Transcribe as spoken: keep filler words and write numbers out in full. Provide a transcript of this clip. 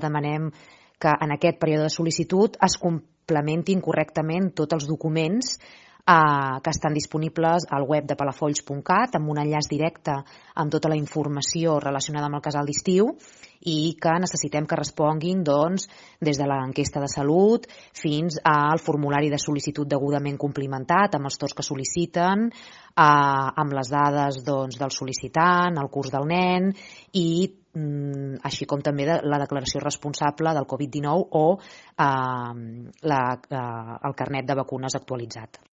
Demanem que en aquest període de sol·licitud es complementin correctament tots els documents eh, que estan disponibles al web de palafolls punt cat amb un enllaç directe amb tota la informació relacionada amb el casal d'estiu i que necessitem que responguin doncs, des de l'enquesta de salut fins al formulari de sol·licitud degudament complimentat amb els torns que sol·liciten, eh, amb les dades doncs, del sol·licitant, el curs del nen i mm, així com també de la declaració responsable del covid dinou o eh, la, eh, el carnet de vacunes actualitzat.